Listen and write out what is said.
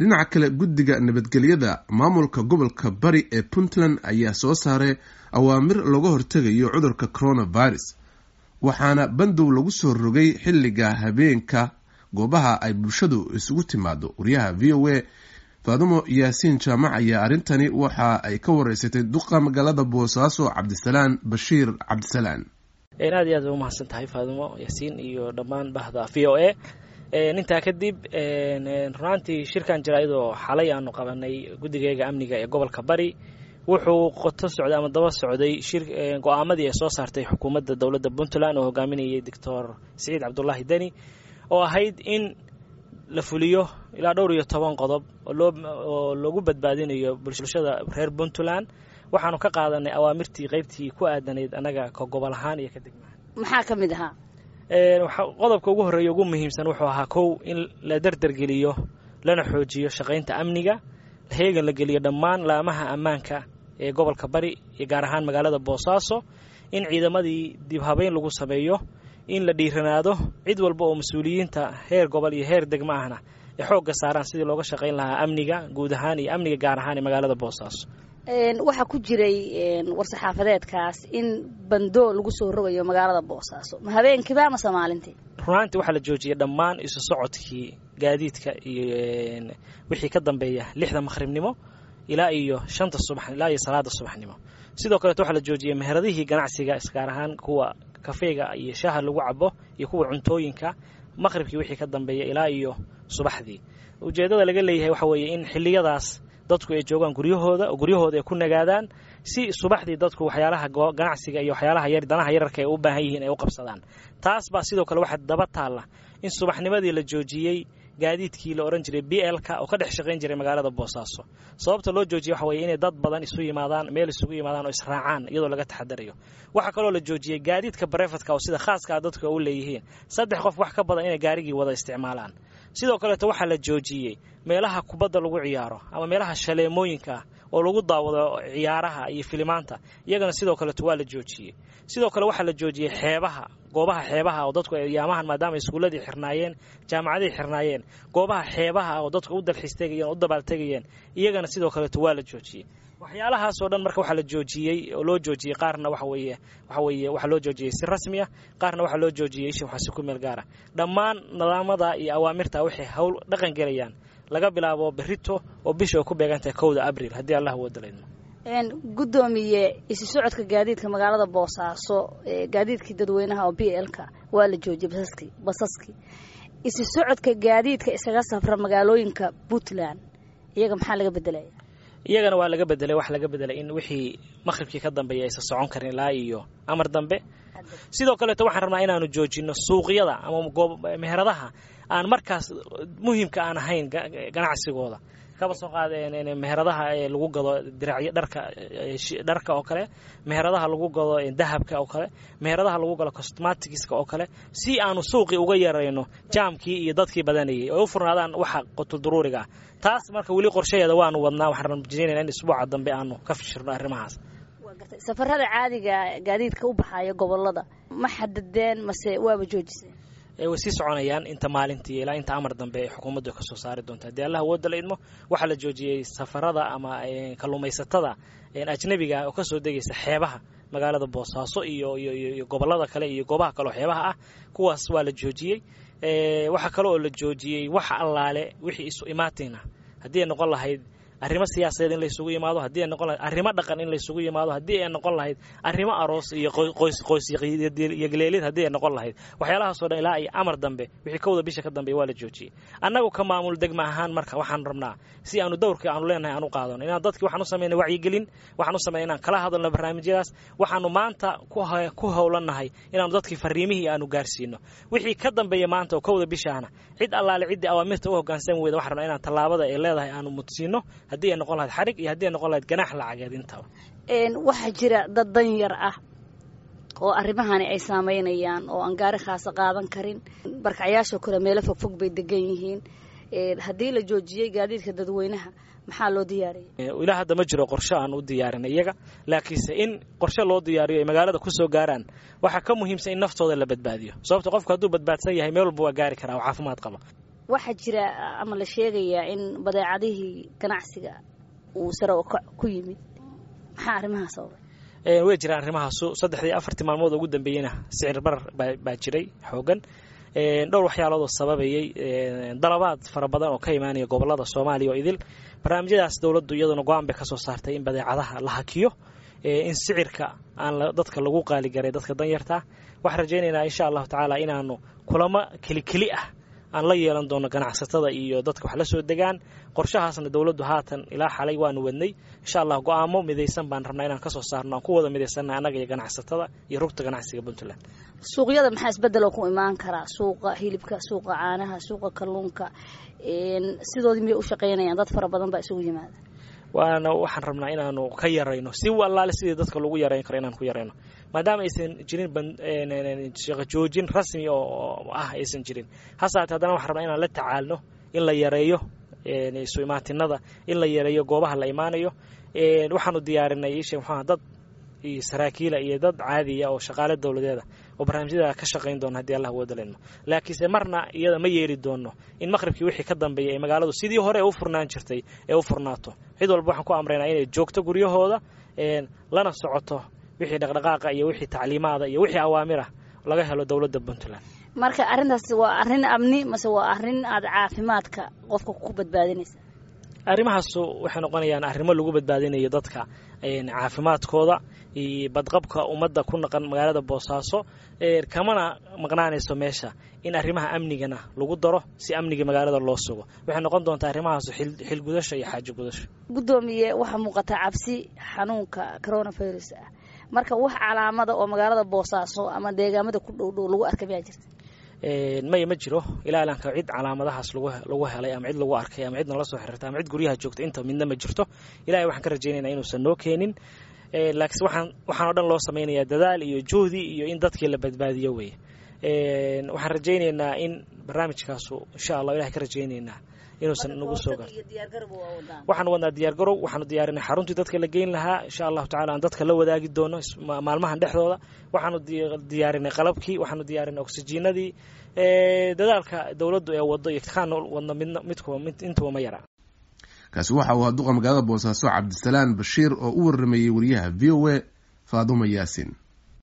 Dhinaca kale, guddiga nabadgelyada maamulka gobolka Bari ee Puntland ayaa soo saaray awaamir looga hortegayo cudurka coronavirus, waxaana bandow lagu soo rogay xilliga habeenka goobaha ay bulshadu isugu timaado. Wariyaha VOA Faadumo Yaasiin Jaamac ayaa arrintani waxa ay ka wareysatay duqa magaalada Boosaaso, Cabdisalaan Bashiir Cabdisalaan. Aad iyo aad bay umahadsan tahay, Faadumo Yaasiin iyo dhammaan bahda VOA. Intaa kadib, runaantii shirkan jaraa'idoo xalay aanu qabanay guddigeega amniga ee gobolka Bari wuxuu qoto socday ama daba socday shir go-aamadii ay soo saartay xukuumadda dowladda Puntland oo hogaaminayay Doctor Siciid Cabdulaahi Deni, oo ahayd in la fuliyo ilaa dhowr iyo toban qodob oo loogu badbaadinayo bulshada reer Puntland. Waxaanu ka qaadanay awaamirtii qaybtii ku aadanayd annaga ka gobol ahaan iyo ka degmahaan. Maxaa ka mid ahaa? Qodobka ugu horreeya, ugu muhiimsan wuxuu ahaa, kow, in la derdergeliyo lana xoojiyo shaqaynta amniga, heegan la geliyo dhammaan laamaha ammaanka ee gobolka Bari iyo gaar ahaan magaalada Boosaaso, in ciidamadii dib habeyn lagu sameeyo, in la dhiiranaado, cid walba oo mas-uuliyiinta heer gobol iyo heer degmo ahna ay xoogga saaraan sidii looga shaqayn lahaa amniga guud ahaan iyo amniga gaar ahaan ee magaalada Boosaaso. Waxaa ku jiray war-saxaafadeedkaas in bandoo lagu soo rogayo magaalada Boosaaso, ma habeenkiiba mase maalintii? Runaantii waxaa la joojiyey dhammaan isu socodkii gaadiidka iyo wixii ka dambeeya 6da maqhribnimo ilaa iyo 5ta subax, ilaa iyo salaada subaxnimo. Sidoo kaleeto waxaa la joojiyey meheradihii ganacsiga, gaar ahaan kuwa kafeega iyo shaaha lagu cabo iyo kuwa cuntooyinka, maqhribkii wixii ka dambeeya ilaa iyo subaxdii. Ujeeddada laga leeyahay waxa weeye in xilliyadaas dadku ay joogaan guryahooda oo guryahooda ay ku nagaadaan, si subaxdii dadku waxyaalaha ganacsiga iyo waxyaalaha yar danaha yararka ay u baahan yihiin ay u qabsadaan. Taas baa sidoo kale waxaa daba taalla in subaxnimadii la joojiyey gaadiidkii la odhan jiray BL-ka oo ka dhex shaqayn jiray magaalada Boosaaso. Sababta loo joojiyey waxa weye inay dad badan isu yimaadaan, meel isugu yimaadaan oo israacaan, iyadoo laga taxadarayo. Waxaa kaloo la joojiyey gaadiidka private-ka oo sida khaaska ah dadku u leeyihiin, 3 qof wax ka badan inay gaarigii wada isticmaalaan. Sidoo kaleeto waxaa la joojiyey meelaha kubadda lagu ciyaaro ama meelaha shaleemooyinka ah oo lagu daawado ciyaaraha iyo filimaanta, iyagana sidoo kaleeto waa la joojiyey. Sidoo kale waxaa la joojiyey xeebaha, goobaha xeebaha oo dadku yaamahan, maadaama iskuulladii xirnaayeen, jaamacadihii xirnaayeen, goobaha xeebaha oo dadku u dalxiis tegayeen o u dabaaltegayeen, iyagana sidoo kaleeto waa la joojiyey. Waxyaalahaasoo dhan marka waxaa la joojiyey oo loo joojiyey, qaarna waxa weeye waxaa loo joojiyey si rasmi ah, qaarna waxaa loo joojiyey isha waxaa si ku meel gaara. Dhammaan nidaamada iyo awaamirta waxay hawl dhaqan gelayaan laga bilaabo berrito oo bisha ay ku beegantahay 1da Abriil, haddii Allah wadalayno. Guddoomiye, isu socodka gaadiidka magaalada Boosaaso, gaadiidkii dadweynaha oo BL-ka waa la joojiyey, basaskii. Isu socodka gaadiidka isaga safra magaalooyinka Puntland iyaga maxaa laga bedelaya? Iyagana waa laga bedelay. Waxa laga bedelay in wixii maqhribkii ka dambeeya aysan socon karin ilaa iyo amar dambe. Sidoo kaleeto waxaan rabnaa inaanu joojino suuqyada ama meheradaha aan markaas muhiimka aan ahayn ganacsigooda. Kaba soo qaad meheradaha lagu gado diracyo, dharka oo kale, meheradaha lagu gado dahabka oo kale, meheradaha lagu gado cosmetics-ka oo kale, si aanu suuqii uga yarayno jaamkii iyo dadkii badanayay oo u furnaadaan waxa qutulduruuriga ah. Taas marka weli qorshaheeda waanu wadnaa. Waxaan rajaynayna in isbuuca dambe aanu ka fishirno arrimahaas. Safarada caadiga gaadiidka u baxaya gobolada ma xadadeen mase waaba joojiseen? Way sii soconayaan inta maalintii ilaa inta amar dambe ay xukuumaddu ka soo saari doonto, haddii Allah awooda la idmo. Waxaa la joojiyey safarada ama kalluumaysatada ajnabiga oo kasoo degaysa xeebaha magaalada Boosaaso iyo gobolada kale iyo goobaha kale oo xeebaha ah. Kuwaas waa la joojiyey. Waxaa kale oo la joojiyey wax allaale wixii isu imaatina, haddii ay noqon lahayd arrimo siyaasadeed in laysugu yimaado, haddii ay noqon lahayd arrimo dhaqan in laysugu yimaado, haddii ay noqon lahayd arrimo aroos iyo qoys qoys yagleelid, haddii ay noqon lahayd waxyaalahaasoo dhan, ilaa iyo amar dambe wixii 1da bisha ka dambeeya waa la joojiyey. Annagu ka maamul degma ahaan marka waxaan rabnaa si aanu dowrkii aanu leenahay aan u qaadano inaan dadkii waxaan u sameynay wacyigelin, waxaan u sameynay inaan kala hadalno barnaamijyadaas. Waxaanu maanta ku howlannahay inaanu dadkii fariimihii aanu gaarsiino. Wixii ka dambeeya maanta oo 1da bishaana, cid allaale ciddii awaamirta u hoggaansan weyda, waxaan rabnaa inaan tallaabada ay leedahay aanu mudsiino, haddii ay noqon lahayd xarig iyo haddii ay noqon lahayd ganaax lacageed intaba. Waxaa jira dad danyar ah oo arrimahani ay saameynayaan oo aan gaari khaasa qaadan karin. Barkacyaashoo kale meelo fogfog bay degan yihiin. Haddii la joojiyey gaadiidka dadweynaha, maxaa loo diyaariyay? Ilaa hadda ma jiro qorshe aan u diyaarin iyaga, laakiinse in qorshe loo diyaariyo ay magaalada kusoo gaaraan waxaa ka muhiimsan in naftooda la badbaadiyo, sababto qofku hadduu badbaadsan yahay meel walba waa gaari karaa oo caafimaad qaba. Waxaa jira ama la sheegayaa in badeecadihii ganacsiga uu sare ukac ku yimid, maxaa arrimahaa sababay? Way jiraan arrimahaasu. 3dii 4tii maalmood ugu dambeeyeyna sicir barar baa jiray xoogan, dhowr waxyaalood oo sababayay, dalabaad fara badan oo ka imaanaya gobolada Soomaaliya oo idil. Barnaamijyadaas dowladdu iyaduna go-aan bay ka soo saartay in badeecadaha la hakiyo, in sicirka aan dadka lagu qaaligaray, dadka danyartaa. Waxaan rajaynaynaa insha Allahu tacaala inaanu kulamo keli keli ah aan la yeelan doono ganacsatada iyo dadka wax la soo degaan. Qorshahaasna dowladdu haatan ilaa xalay waanu wadnay. Insha Allah go-aamo midaysan baan rabnaa inaan kasoo saarno, aan ku wada midaysanna annaga iyo ganacsatada iyo rugta ganacsiga Puntland. Suuqyada maxaa isbedeloo ku imaan karaa? Suuqa hilibka, suuqa caanaha, suuqa kalluunka, sidoodii miyay u shaqaynayaan? Dad fara badan baa isugu yimaada. Waana waxaan rabnaa inaanu ka yarayno si allaale sidii dadka lagu yarayn karo inaan ku yarayno, maadaama aysan jirin shaqo joojin rasmi oo ah aysan jirin. Hase haatee haddana waxaan rabnaa inaan la tacaalno in la yareeyo isu imaatinada, in la yareeyo goobaha la imaanayo. Waxaanu diyaarinay ishe muxuaha dad iyo saraakiila iyo dad caadiya oo shaqaale dowladeeda oo barnaamijyada ka shaqayn doona haddii Allah wadalayno. Laakiinse marna iyada ma yeeli doono in maqribkii wixii ka dambeeyay ay magaaladu sidii hore u furnaan jirtay ee u furnaato. Cid walba waxaan ku amraynaa inay joogto guryahooda, lana socoto wixii dhaqdhaqaaqa iyo wixii tacliimaada iyo wixii awaamir ah laga helo dowladda Puntland. Marka arrintaas waa arrin amni mase waa arrin aada caafimaadka qofka ku badbaadinaysa? Arrimahaasu waxay noqonayaan arrimo lagu badbaadinayo dadka caafimaadkooda iyo badqabka ummadda ku naqan magaalada Boosaaso. Kamana maqnaanayso meesha in arrimaha amnigana lagu daro si amniga magaalada loo sugo. Waxay noqon doontaa arrimahaasu xilgudasho iyo xaajo gudasho. Guddoomiye, waxaa muuqata cabsi xanuunka coronavirus ah. Marka wax calaamada oo magaalada Boosaaso ama deegaamada ku dhow dhow lagu arkay miyaa jirta? Maya, ma jiro ilaa ilaanka cid calaamadahaas lagu helay ama cid lagu arkay ama cid nala soo xiriirtay ama cid guryaha joogta, inta midna ma jirto. Ilahay waxaan ka rajaynaynaa inuusan noo keenin, laakiin waxaan oo dhan loo samaynayaa dadaal iyo juhdi iyo in dadkii la badbaadiyo weye. Waxaan rajaynaynaa in barnaamijkaasu insha Allah ilahay ka rajaynaynaa inuusan nagu soo gar. Waxaan wadnaa diyaargarow, waxaanu diyaarinay xaruntii dadka la geyn lahaa, insha Allahu tacala aan dadka la wadaagi doono maalmahan dhexdooda. Waxaanu diyaarinay qalabkii, waxaanu diyaarinay oksijiinadii. Dadaalka dowladdu ee waddo iyo kaan wadno midna midkuba intuba ma yara. Kaasi waxa uu ahaa duqa magaalada Boosaaso Cabdisalaan Bashiir oo u waramayey wariyaha VOA Faadumo Yaasin.